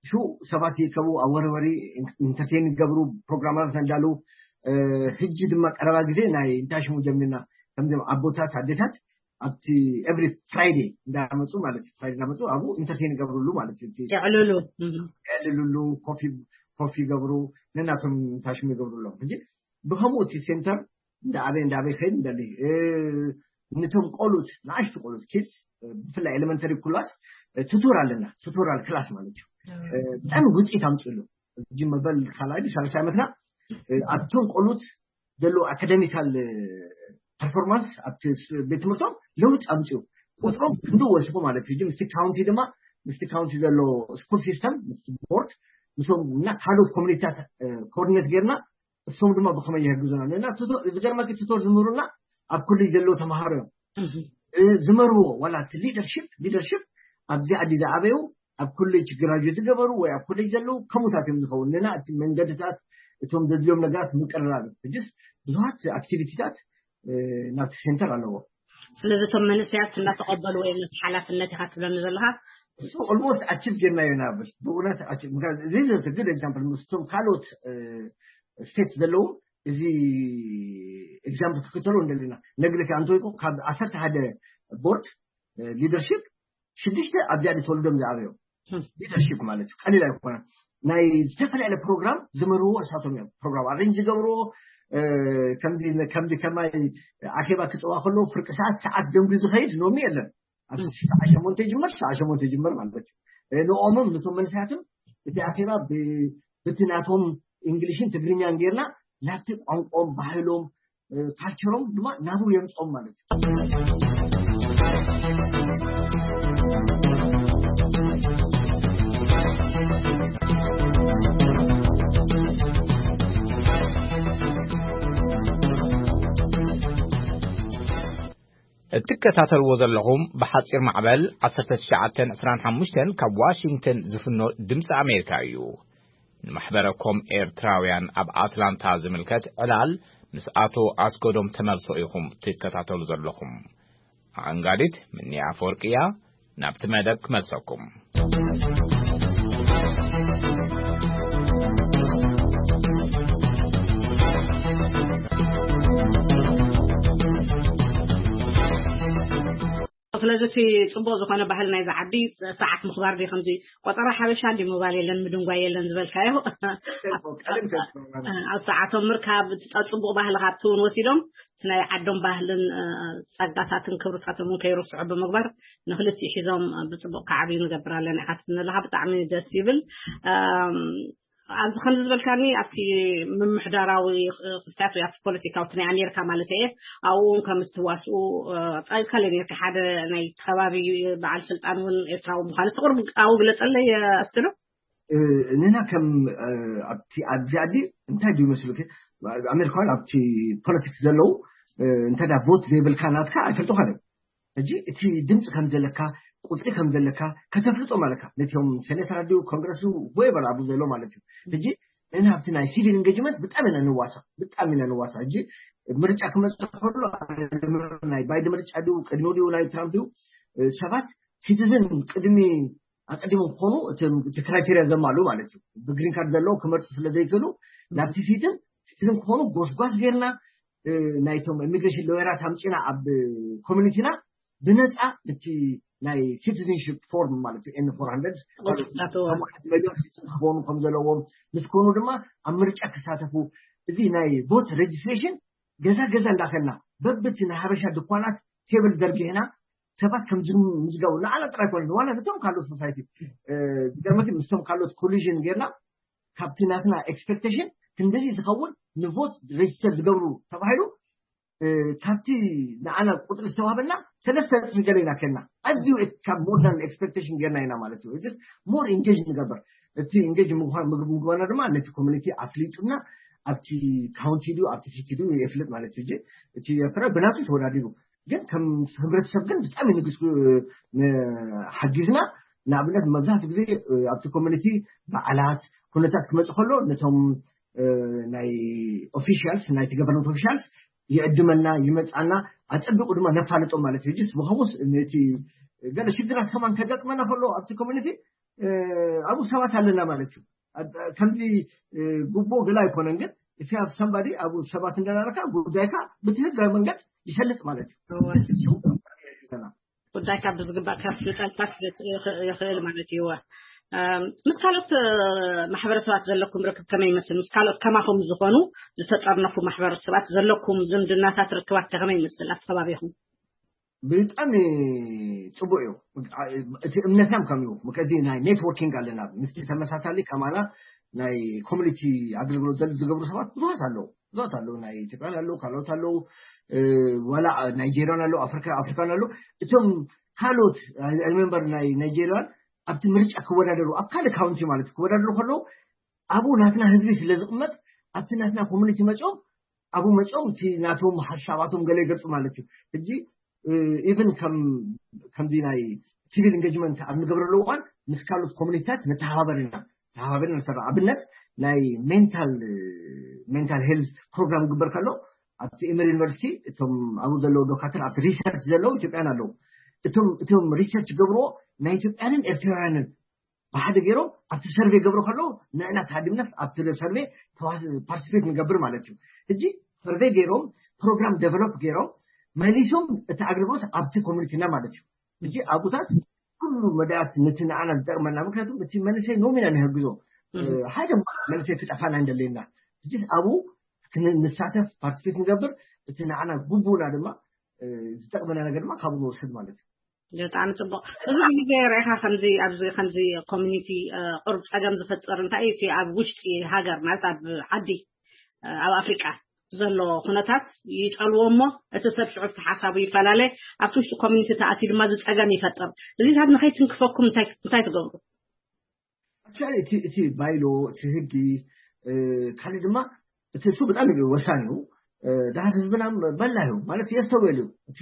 ሽው ሰባት ይከቡ ኣብ ወረወሪ ኢንተርቴን ይገብሩ ፕሮግራማት እንዳሉ ህጂ ድማ ቀረባ ግዜ ናይ እንታይ ሽሙ ጀሚርና ከምዚም ኣቦታት ኣዴታት ኣብቲ ኤቭሪ ፍራይዴ እንዳመፁ ማለት እዩ ፍራይዴ እንዳመፁ ኣብኡ ኢንተርቴን ይገብሩሉ ማለት እዩ እቲ የዕልሉ የዕልሉሉ ኮፊ ኮፊ ይገብሩ ነናቶም ታሽሙ ይገብሩሎም ሕጂ ብከምኡ እቲ ሴንተር እንዳኣበይ እንዳኣበይ ከይድ እንደሊ ነቶም ቆሉት ንኣሽቱ ቆሉት ኪድስ ብፍላይ ኤሌመንተሪ ክላስ ቱቶር ኣለና ቱቶራል ክላስ ማለት እዩ ብጣዕሚ ውፅኢት ኣምፅእሉ ሕጂ መበል ካልኣይ ሳልሳይ ዓመትና ኣብቶም ቆሉት ዘለዉ ኣካደሚካል ፐርፎርማንስ ኣብቲ ቤት ትምህርቶም ለውጥ ኣምፅኡ ቁፅሮም ክንዲ ወሲኹ ማለት እዩ ምስቲ ካውንቲ ድማ ምስቲ ካውንቲ ዘሎ ስኩል ሲስተም ምስቲ ቦርድ ምስም እና ካልኦት ኮሚኒቲታት ኮኦርዲኔት ጌርና እሶም ድማ ብከመይ የህግዙና ንና ዝገርመኪ ቱቶር ዝምህሩና ኣብ ኮሌጅ ዘለዉ ተምሃሮ እዮም ዝመርዎ ዋላ እቲ ሊደርሽፕ ሊደርሽፕ ኣብዚ ዓዲ ዝዓበዩ ኣብ ኮሌጅ ግራጁዌት ዝገበሩ ወይ ኣብ ኮሌጅ ዘለዉ ከምኡታት እዮም ዝኸውን ንና እቲ መንገድታት እቶም ዘድልዮም ነገራት ምቅርራብ ሕጅስ ብዙሃት ኣክቲቪቲታት ናብቲ ሴንተር ኣለዎ ስለዚ እቶም መንእሰያት እናተቐበሉ ወይ ነቲ ሓላፍነት ኢኻ ትብለኒ ዘለኻ እሱ ኦልሞስት ኣቺቭ ጌርናዮ ናብል ብእውነት good example ምስቶም ካልኦት ስቴት ዘለዉ እዚ ኤግዛምፕል ክክተሎ እንደለና ነግርካ እንተወይቁ ካብ ዓሰርተ ሓደ ቦርድ ሊደርሽፕ ሽዱሽተ ኣብዚኣ ተወልዶም ዝኣበዮም ሊደርሽፕ ማለት እዩ ቀሊል ኣይኮነ ናይ ዝተፈላለለ ፕሮግራም ዝመርዎ እሳቶም እዮም ፕሮግራም ኣሬንጅ ዝገብርዎ ከምዚ ከማይ ኣኼባ ክፅዋ ከለዎ ፍርቂ ሰዓት ሰዓት ደንጉ ዝኸይድ ሎሚ የለን ኣብ ሰዓ ሸሞንተ ይጅመር ሰዓ ሸሞንተ ይጅመር ማለት እዩ ንኦምም ነቶም መንስያትም እቲ ኣኼባ ብቲ ናቶም እንግሊሽን ትግርኛን ጌርና ናብቲ ቋንቋኦም ባህሎም ካልቸሮም ድማ ናብኡ የምፅኦም ማለት እዩ እትከታተልዎ ዘለኹም ብሓጺር ማዕበል ዓሰርተ ትሽዓተ ዕስራን ሓሙሽተን ካብ ዋሽንግተን ዝፍኖ ድምፂ ኣሜሪካ እዩ። ንማሕበረ ኮም ኤርትራውያን ኣብ ኣትላንታ ዝምልከት ዕላል ምስ ኣቶ ኣስገዶም ተመልሶ ኢኹም ትከታተሉ ዘለኹም። ኣንጋዲት ምኒ ኣፈወርቂ እያ። ናብቲ መደብ ክመልሰኩም። ስለዚ እቲ ጽቡቕ ዝኾነ ባህል ናይዚ ዓዲ ሰዓት ምኽባር ድዩ? ከምዚ ቆጸራ ሓበሻ እንዲ ምባል የለን፣ ምድንጓይ የለን ዝበልካዮ። ኣብ ሰዓቶም ምርካብ፣ እቲ ጸ-፣ ጽቡቕ ባህሊ ካብቲ እውን ወሲዶም እቲ ናይ ዓዶም ባህልን፣ እ፣ ጸጋታትን ክብርታቶም እውን ከይርስዑ ብምግባር ንክልቲኡ ሒዞም፣ እ፣ ብጽቡቕ ከዓብዩ ንገብር ኣለና ኢኻ ትብል ዘለኻ። ብጣዕሚ ደስ ይብል። እም፣ ኣብዚ ከምዚ ዝበልካኒ ኣብቲ ምምሕዳራዊ፣ እ፣ ክስታት ወይ ኣብቲ ፖለቲካዊ እቲ ናይ ኣሜሪካ ማለት እየ፣ ኣብኡ እውን ከም እትዋስኡ፣ እ፣ ጸይቅካ ነርካ። ሓደ ናይ ከባቢ በዓል ስልጣን እውን ኤርትራዊ ምዃኑ እስቲ ቁሩብ ኣብኡ ግለጸለይ፣ እ፣ ኣስክዶ። እ፣ ንሕና ከም፣ እ፣ ኣብቲ ኣብዚ ዓዲ እንታይ ድዩ መስሉኪ? ኣሜሪካውያን ኣብቲ ፖለቲክስ ዘለዉ፣ እ፣ እንተ ዳ ቮት ዘይብልካ ናትካ ኣይፈልጡኻን እዮም። ሕጂ እቲ ድምፂ ከም ዘለካ፣ ቁፅሪ ከም ዘለካ ከተፍልጦ ማለካ፣ ነቲኦም ሴኔተራት ድዩ ኮንግረስ ድዩ፣ whoever ኣብኡ ዘሎ ማለት እዩ። ሕጂ ንሕና ኣብቲ ናይ ሲቪል ኢንጌጅመንት ብጣዕሚ ኢና ንዋሳ፣ ብጣዕሚ ኢና ንዋሳ። ሕጂ ምርጫ ክመፅእ ከሎ ናይ ባይደን ምርጫ ድዩ፣ ቅድሚኡ ድዩ፣ ናይ ትራምፕ ድዩ፣ እ፣ ሰባት ሲቲዝን ቅድሚ ኣቀዲሞም ክኾኑ እቲ፣ እቲ ክራይቴርያ ዘማሉ ማለት እዩ። ብግሪን ካርድ ዘለዎም ክመርፁ ስለ ዘይክእሉ ናብቲ ሲቲዝን፣ ሲቲዝን ክኾኑ ጎስጓስ ጌርና፣ እ፣ ናይቶም ኢሚግሬሽን ሎየራት ኣምፂና ኣብ ኮሚኒቲና ብነፃ እቲ ናይ ሲቲዝንሽፕ ፎርም ማለት እዩ፣ ኤን ፎር ሃንድረድ፣ ቁፅሪ ናተዎ። ከም ሚሊዮን ሲቲዝን ክኾኑ ከም ዘለዎም፣ ምስ ኮኑ ድማ ኣብ ምርጫ ክሳተፉ፣ እዚ ናይ ቮት ሬጅስትሬሽን ገዛ ገዛ እንዳኸና በብቲ ናይ ሓበሻ ድኳናት ቴብል ዘርጊሕና ሰባት ከም ዝምዝገቡ ንዓና ጥራይ ኮነ ዋላ ነቶም ካልኦት ሶሳይቲ፣ እ፣ ዝገርመኪ ምስቶም ካልኦት ኮሊዥን ጌርና ካብቲ ናትና ኤክስፔክቴሽን ክንደዚ ዝኸውን ንቮት ሬጅስተር ዝገብሩ ተባሂሉ፣ እ፣ ካብቲ ንዓና ቁፅሪ ዝተዋህበና ሰለስተ እጥፊ ገለ ኢና ከና። ኣዝዩ ካብ ሞር ዳን ኤክስፔክቴሽን ጌርና ኢና ማለት እዩ። ሞር ኢንጌጅ ንገበር። እቲ ኢንጌጅ ምኳን ምግብ ምግባና ድማ ነቲ ኮሚኒቲ ኣፍሊጡና ኣብቲ ካውንቲ ድዩ ኣብቲ ሲቲ ድዩ የፍልጥ ማለት እዩ። እቲ ኤርትራ ብናቱ ተወዳዲሩ ግን ከም ህብረተሰብ ግን ብጣዕሚ ንግስ፣ እ፣ ሓጊዝና። ንኣብነት መብዛሕትኡ ግዜ፣ እ፣ ኣብቲ ኮሚኒቲ በዓላት ኩነታት ክመፅእ ከሎ ነቶም፣ እ፣ ናይ ኦፊሻልስ፣ ናይቲ ገቨርንመንት ኦፊሻልስ ይዕድመና፣ ይመፃና፣ ኣፀቢቑ ድማ ነፋልጦም ማለት እዩ። ጅስ ብኸምኡስ ነቲ ገለ ሽግራት ከማን ከጋጥመና ከሎ ኣብቲ ኮሚኒቲ፣ እ፣ ኣብኡ ሰባት ኣለና ማለት እዩ። ኣብ-፣ ከምዚ፣ እ፣ ጉቦ ገለ ኣይኮነን፣ ግን if you have somebody ኣብኡ ሰባት እንደናረካ ጉዳይካ ብትህጋዊ መንገድ ይሰልጥ ማለት እዩ። እወ። ጉዳይካ ብዝግባእ ከፍልጠልካ ስለ ይኽእል ማለት እዩ። እም፣ ምስ ካልኦት፣ እ፣ ማሕበረሰባት ዘለኩም ርክብ ከመይ ይመስል? ምስ ካልኦት ከማኹም ዝኾኑ ዝተጠርነፉ ማሕበረሰባት ዘለኩም ዝምድናታት፣ ርክባት ከ ከመይ ይመስል ኣብቲ ከባቢኹም? ብጣዕሚ ጽቡቕ እዩ። እቲ እምነትና ከም እዩ። ምክንያቱ ናይ ኔትወርኪንግ ኣለና። ምስቲ ተመሳሳሊ ከማና ናይ ኮሚኒቲ ኣገልግሎት ዘል-፣ ዝገብሩ ሰባት ብዙሓት ኣለዉ። ብዙሓት ኣለዉ። ናይ ኢትዮጵያን ኣለዉ፣ ካልኦት ኣለዉ። እ፣ ዋላ ናይጄሪያን ኣለዉ፣ ኣፍሪካ-፣ ኣፍሪካን ኣለዉ። እቶም ካልኦት፣ ኣይ ሪመምበር ናይ ናይጄሪያን ኣብቲ ምርጫ ክወዳደሩ፣ ኣብ ካልእ ካውንቲ ማለት ክወዳደሩ ከለዉ፣ ኣብኡ ናትና ህዝቢ ስለ ዝቕመጥ፣ ኣብቲ ናትና ኮሚኒቲ መጺኦም፣ ኣብኡ መጺኦም እቲ ናቶም ሓሳባቶም ገለ ይገልጹ ማለት እዩ። ሕጂ፣ እ፣ ኢቭን ከም፣ ከምዚ ናይ ሲቪል ኢንጌጅመንት ኣብ ንገብረሉ እዋን ምስ ካልኦት ኮሚኒቲታት ንተሓባበር ኢና። ተሓባበር ኢና ንሰርሕ። ኣብነት ናይ ሜንታል፣ ሜንታል ሄልዝ ፕሮግራም ክግበር ከሎ ኣብቲ ኤመር ዩኒቨርሲቲ እቶም ኣብኡ ዘለዉ ዶካተር ኣብቲ ሪሰርች ዘለዉ ኢትዮጵያን ኣለዉ። እቶም፣ እቶም ሪሰርች ገብርዎ ናይ ኢትዮጵያንን ኤርትራውያንን ብሓደ ገይሮም ኣብቲ ሰርቬ ገብሩ ከለዉ ንዕና ተሃዲምናስ ኣብቲ ሰርቬ ተዋ-፣ ፓርቲሲፔት ንገብር ማለት እዩ። ሕጂ ሰርቬ ገይሮም ፕሮግራም ዴቨሎፕ ገይሮም መሊሶም እቲ ኣገልግሎት ኣብቲ ኮሚኒቲና ማለት እዩ። ሕጂ ኣብኡታት ኩሉ መዳያት ነቲ ንዓና ዝጠቕመና፣ ምክንያቱ እቲ መንእሰይ ኖም ኢና ንህግዞ። እም። ሓደ መንእሰይ ክጠፋና እንደለና። ሕጂ ኣብኡ ክን-፣ ንሳተፍ ፓርቲሲፔት ንገብር፣ እቲ ንዓና ግቡና ድማ፣ እ፣ ዝጠቕመና ነገር ድማ ካብኡ ንወስድ ማለት እዩ። ብጣዕሚ ጽቡቕ። ብዙሕ ግዜ ርኢኻ ከምዚ፣ ኣብዚ ከምዚ ኮሚኒቲ፣ እ፣ ቁሩብ ጸገም ዝፈጥር እንታይ እዩ? እቲ ኣብ ውሽጢ ሃገር ማለት ኣብ ዓዲ፣ እ፣ ኣብ ኣፍሪቃ ዘሎ ኩነታት ይጸልዎ እሞ እቲ ሰብ ሽዑ እቲ ሓሳቡ ይፈላለ፣ ኣብቲ ውሽጢ ኮሚኒቲ ተኣትዩ ድማ እዚ ጸገም ይፈጥር። እዚታት ንኸይትንክፈኩም እንታይ፣ እንታይ ትገብሩ? ኣክቹዋሊ እቲ፣ እቲ ባይሎ፣ እቲ ህጊ፣ እ፣ ካልእ ድማ እቲ እሱ ብጣዕሚ ወሳኒ እዩ። እ፣ ድሓር ህዝብና በላ እዩ ማለት የስተውዕል እዩ። እቲ፣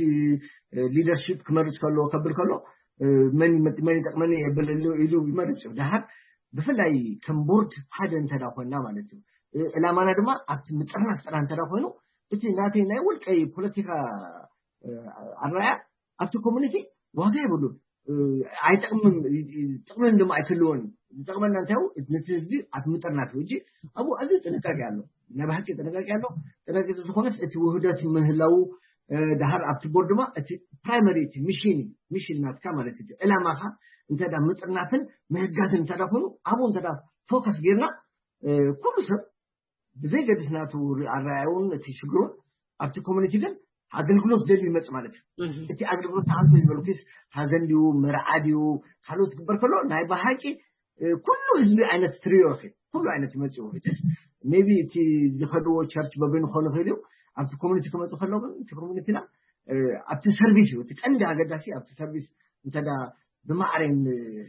እ፣ ሊደርሺፕ ክመርጽ ከሎ፣ ከብል ከሎ፣ እ፣ መን ይመ-፣ መን ይጠቕመኒ የብል ኢሉ፣ ኢሉ ይመርጽ እዩ። ድሓር ብፍላይ ከም ቦርድ ሓደ እንተ ዳ ኮይንና ማለት እዩ። እ፣ ዕላማና ድማ ኣብቲ ምጥርናፍ ጥራሕ እንተ ዳ ኮይኑ፣ እቲ ናተይ ናይ ውልቀይ ፖለቲካ፣ እ፣ ኣረኣያ ኣብቲ ኮሚኒቲ ዋጋ የብሉን። እ፣ ኣይጠቕምን፣ እ፣ እ፣ ጥቕምን ድማ ኣይክልዎን። ዝጠቕመና እንታይ እዩ? ነቲ ህዝቢ ኣብ ምጥርናፍ እዩ። ሕጂ ኣብኡ ኣዝዩ ጥንቃቄ ኣሎ። ናይ ብሓቂ ጥንቃቄ ኣሎ። ጥንቃቄ ዝኾነስ እቲ ውህደት ምህላው፣ እ፣ ድሓር ኣብቲ ቦርድ ድማ እቲ ፕራይመሪ እቲ ሚሽን እዩ። ሚሽን ናትካ ማለት እዩ። ዕላማኻ እንተ ዳ ምጥርናፍን ምህጋዝን እንተ ዳ ኮይኑ፣ ኣብኡ እንተ ዳ ፎከስ ጌርና፣ እ፣ ኩሉ ሰብ ብዘይገድስ ናቱ ሪ-፣ ኣረኣእያውን እቲ ሽግሩን ኣብቲ ኮሚኒቲ ግን ኣገልግሎት ደልዩ ይመጽእ ማለት እዩ። እቲ ኣገልግሎት ንዓንተ ዝበልኩስ፣ ሃዘን ድዩ፣ መርዓ ድዩ፣ ካልኦት ክግበር ከሎ ናይ ብሓቂ፣ እ፣ ኩሉ ህዝቢ ዓይነት ትሪኦ ኢኺ። ኩሉ ዓይነት ይመጽእ እዩ። ሜቢ እቲ ዝኸድዎ ቸርች በበይኑ ክኾኑ ይኽእል እዩ። ኣብቲ ኮሚኒቲ ክመጽእ ከሎ ግን እቲ ኮሚኒቲና፣ እ፣ ኣብቲ ሰርቪስ እዩ። እቲ ቀንዲ ኣገዳሲ ኣብቲ ሰርቪስ እንተ ዳ ብማዕረን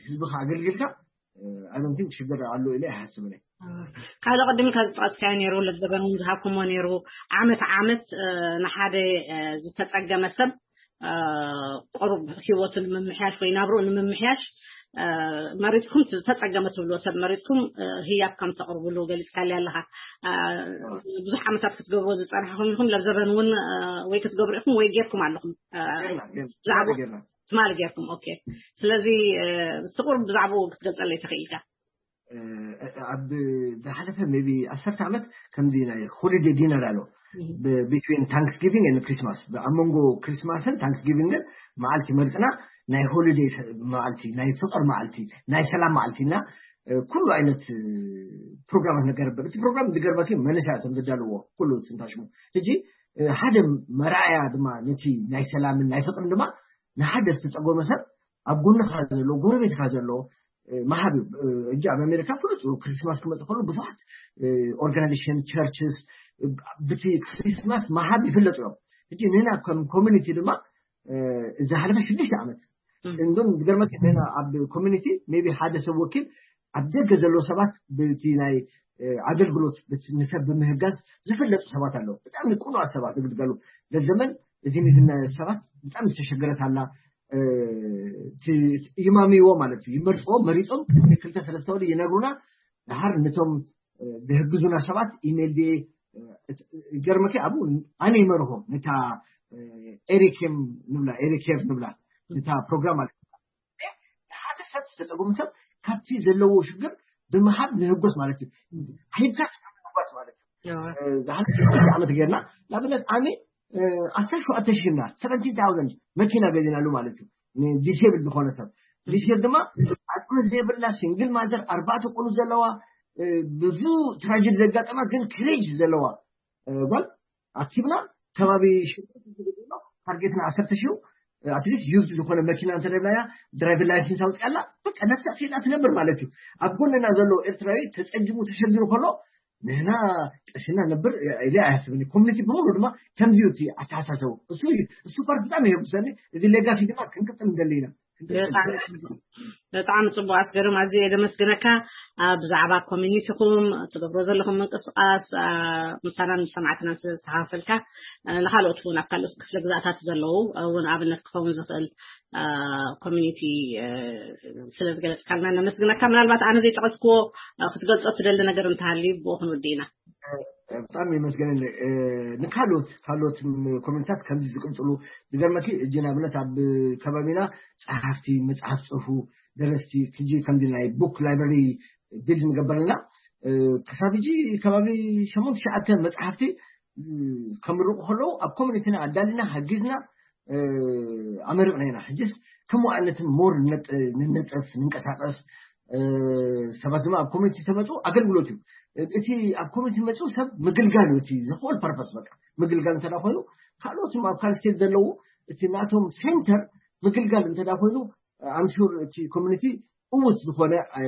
ህዝብኻ ኣገልግልካ፣ እ፣ I don't think ሽግር ኣሎ ኢለ ኣይሓስብን እየ። ካልእ ቅድም ካብ ዝጠቐስካዮ ነይሩ፣ ለዘበን እውን ዝሃብኩሞ ነይሩ። ዓመት ዓመት፣ እ፣ ንሓደ፣ እ፣ ዝተጸገመ ሰብ፣ እ፣ ቁሩብ ህይወቱ ንምምሕያሽ ወይ ናብርኡ ንምምሕያሽ፣ እ፣ መሪጽኩም፣ ዝተጸገመ ትብልዎ ሰብ መሪጽኩም፣ እ፣ ህያብ ከም ተቕርብሉ ገሊጽካልይ ኣለኻ። እ፣ ብዙሕ ዓመታት ክትገብርዎ ዝጸናሕኩም ኢኹም፣ ለዘበን እውን፣ እ፣ ወይ ክትገብሩ ኢኹም ወይ ጌርኩም ኣለኹም። እ፣ ጌርና፣ ጌርና፣ ብዛዕባ ጌርና። ትማሊ ጌርኩም። ኦኬ። ስለዚ፣ እ፣ ስቁር ብዛዕባኡ ክትገልጸለይ ትኽእል ኢኻ? እ፣ ኣብ ዝሓለፈ ሜቢ ዓሰርተ ዓመት ከምዚ ናይ ሆሊዴ ዲነር ኣሎ። ብ-፣ ቢትዊን ታንክስጊቪንግ ኤንድ ክሪስማስ። ኣብ መንጎ ክሪስማስን ታንክስጊቪንግን መዓልቲ መርጽና ናይ ሆሊዴ ሰ-፣ መዓልቲ፣ ናይ ፍቕር መዓልቲ፣ ናይ ሰላም መዓልቲ እና፣ እ፣ ኩሉ ዓይነት፣ እ፣ ፕሮግራማት ንገብር። እቲ ፕሮግራም ዝገርመኪ መነሻ እቶም ዘዳለዎ ኩሉ ትንታሽሙ። ሕጂ፣ እ፣ ሓደ መርኣያ ድማ ነቲ ናይ ሰላምን ናይ ፍቕርን ድማ ንሓደ ዝተጸጎመ ሰብ ኣብ ጎንኻ ዘሎ፣ ጎረቤትካ ዘሎ፣ እ፣ መሃብ እዩ። እ፣ ሕጂ ኣብ ኣሜሪካ ፍሉጥ እዩ። ክሪስማስ ክመጽእ ከሎ ብዙሓት፣ እ፣ ኦርጋናይዜሽን፣ ቸርችስ፣ እ፣ ብቲ ክሪስማስ መሃብ ይፍለጡ እዮም። ሕጂ ንሕና ከም ኮሚኒቲ ድማ፣ እ፣ እዚ ሓለፈ ሽዱሽተ ዓመት እም። እንደውም ዝገርመኪ ንሕና ኣብ ኮሚኒቲ ሜቢ ሓደ ሰብ ወኪል ኣብ ደገ ዘለዉ ሰባት ብቲ ናይ፣ እ፣ ኣገልግሎት ብት-፣ ንሰብ ብምህጋዝ ዝፍለጡ ሰባት ኣለዉ። ብጣዕሚ ቅኑዓት ሰባት ዝግልገሉ። ለዘመን እዚ ንዝነ ሰባት ብጣዕሚ ዝተሸገረት ኣላ። እ፣ እቲ ይማምይዎ ማለት እዩ። ይመርጽዎ፣ መሪጾም ቅድሚ ክልተ ሰለስተ ወዲ ይነግሩና። ድሓር ነቶም፣ እ፣ ዝህግዙና ሰባት ኢሜይል ድየ፣ እ፣ ይገርመኪ ኣብኡ ኣነ ይመርኾም ነታ፣ እ፣ ኤሪኬም ንብላ፣ ኤሪኬር ንብላ፣ ነታ ፕሮግራም ማለት ንሓደ ሰብ ዝተጸገሙ ሰብ ካብቲ ዘለዎ ሽግር ብምሃብ ንህጎስ ማለት እዩ። ሂብካስ ንህጎስ ማለት እዩ። ዝሓለፈ ዓመት ጌርና ንኣብነት ኣነ፣ እ፣ ዓሰርተ ሸውዓተ ሺህ እና ሰቨንቲን ታውዘንድ መኪና ገዚናሉ ማለት እዩ። ንዲሴብል ዝኾነ ሰብ። ዲሴብል ድማ ዓቅሚ ዘይብላ ሲንግል ማዘር ኣርባዕተ ቆልዑ ዘለዋ፣ እ፣ ብዙ ትራጀዲ ዘጋጠማ ግን ክሬጅ ዘለዋ፣ እ፣ ጓል ኣኪብና ከባቢ ሽርካት ዝግብሎ ታርጌትና ዓሰርተ ሺህ፣ ኣትሊስት ዩዝድ ዝኾነ መኪና እንተደላያ ድራይቨር ላይሰንስ ኣውፅኣላ በቃ ነፍሳ ክኢላ ትነብር ማለት እዩ። ኣብ ጎንና ዘሎ ኤርትራዊ ተፀጊሙ ተሸጊሩ ከሎ ንህና ቀሽና ነብር ኢለ ኣይሓስብን። ኮሚኒቲ ብምሉ ድማ ከምዚ እዩ እቲ ኣተሓሳሰቡ። እሱ እዩ፣ እሱ ፓርት ብጣዕሚ የጉሰኒ። እዚ ሌጋሲ ድማ ክንቅፅል እንደሊ ኢና። ብጣዕሚ ጽቡቅ። ብጣዕሚ ጽቡቅ ኣስገዶም፣ ኣዝየ የደመስግነካ። ኣብ ብዛዕባ ኮሚኒቲኹም ትገብሮ ዘለኹም ምንቅስቃስ፣ ኣ፣ ምሳናን ምስ ሰማዕትናን ስለ ዝተካፈልካ፣ እ፣ ንኻልኦት እውን ኣብ ካልኦት ክፍለ ግዛኣታት ዘለዉ እውን ኣብነት ክኸውን ዝኽእል፣ እ፣ ኮሚኒቲ፣ እ፣ ስለ ዝገለጽካልና ነመስግነካ። ምናልባት ኣነ ዘይጠቐስክዎ፣ እ፣ ክትገልጾ ትደሊ ነገር እንተሃልዩ ብኡ ክንውድእ ኢና። ብጣዕሚ የመስገነኒ። እ፣ ንካልኦት፣ ካልኦት ም-፣ ኮሚኒታት ከምዚ ዝቅጽሉ ዝገርመኪ፣ እጂ ንኣብነት ኣብ ከባቢና ጸሓፍቲ፣ መጽሓፍ ጽሑፉ፣ ደረስቲ፣ ክጂ ከምዚ ናይ ቡክ ላይብረሪ ቢልድ ንገበረልና። እ፣ ክሳብ እጂ ከባቢ ሸሞንተ ትሽዓተ መጽሓፍቲ፣ እ፣ ከምርቑ ከለዉ ኣብ ኮሚኒቲና ኣዳሊና፣ ሃጊዝና፣ እ፣ ኣመሪቕና ኢና። ሕጅስ ከም ዋዕነትን ሞር ንነጥ-፣ ንነጥፍ፣ ንንቀሳቐስ፣ እ፣ ሰባት ድማ ኣብ ኮሚኒቲ ተመፁ ኣገልግሎት እዩ። እቲ ኣብ ኮሚኒቲ መፅኡ ሰብ ምግልጋል እዩ። እቲ the whole purpose በቃ ምግልጋል እንተ ኮይኑ፣ ካልኦትም ኣብ ካልእ ስቴት ዘለዉ እቲ ናቶም ሴንተር ምግልጋል እንተ ኮይኑ፣ I'm sure እቲ ኮሚኒቲ እውት ዝኾነ፣ እ፣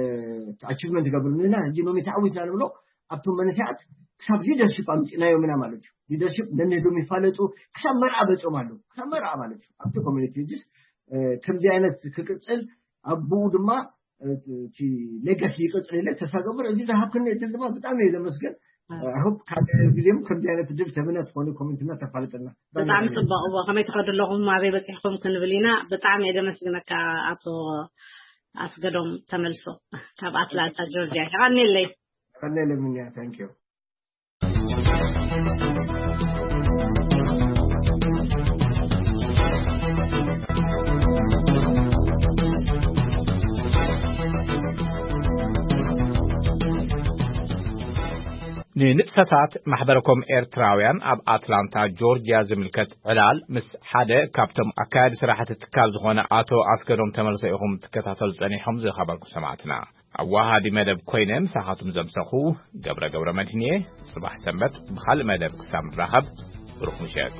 ኣቺቭመንት ይገብር። ንሕና ሕጂ ሎሚ ተዓዊትና ንብሎ ኣብቶም መንእሰያት ክሳብ ሊደርሺፕ ኣምፂእናዮም ኢና ማለት እዩ። ሊደርሺፕ ነንህዶም ይፋለጡ፣ ክሳብ መርዓ በፂኦም ኣለዉ። ክሳብ መርዓ ማለት እዩ። ኣብቲ ኮሚኒቲ ሕጅስ፣ እ፣ ከምዚ ዓይነት ክቅፅል፣ ኣብኡ ድማ፣ እ፣ እቲ ሌጋሲ ይቅፅል ኢለ ተስፋ ገብር። እዚ ዝሃብክኒ እድል ድማ ብጣዕሚ እየ ዘመስግን። እ። I hope ካልእ ግዜም ከምዚ ዓይነት እድል ተብና ትኾኑ ኮሚኒቲና ተፋልጠና። ብጣዕሚ ጽቡቕ። እዎ፣ ከመይ ትኸዱ ኣለኹም? ኣበይ በጺሕኩም ክንብል ኢና። ብጣዕሚ እየ ዘመስግነካ ኣቶ ኣስገዶም ተመልሶ ካብ ኣትላንታ ጆርጅያ። የቐንየለይ። የቐንየለይ ምንያ። Thank you። ንንጥፈታት ማሕበረኮም ኤርትራውያን ኣብ ኣትላንታ ጆርጅያ ዝምልከት ዕላል ምስ ሓደ ካብቶም ኣካያዲ ስራሕቲ ትካል ዝኾነ ኣቶ ኣስገዶም ተመልሰ ኢኹም ትከታተሉ ጸኒሖም ዝኸበርኩ ሰማዕትና። ኣዋሃዲ መደብ ኮይነ ምሳኻቱም ዘምሰኹ ገብረ ገብረ መድህን እየ። ጽባሕ ሰንበት ብኻልእ መደብ ክሳብ ንራኸብ ብሩኽ ምሸት።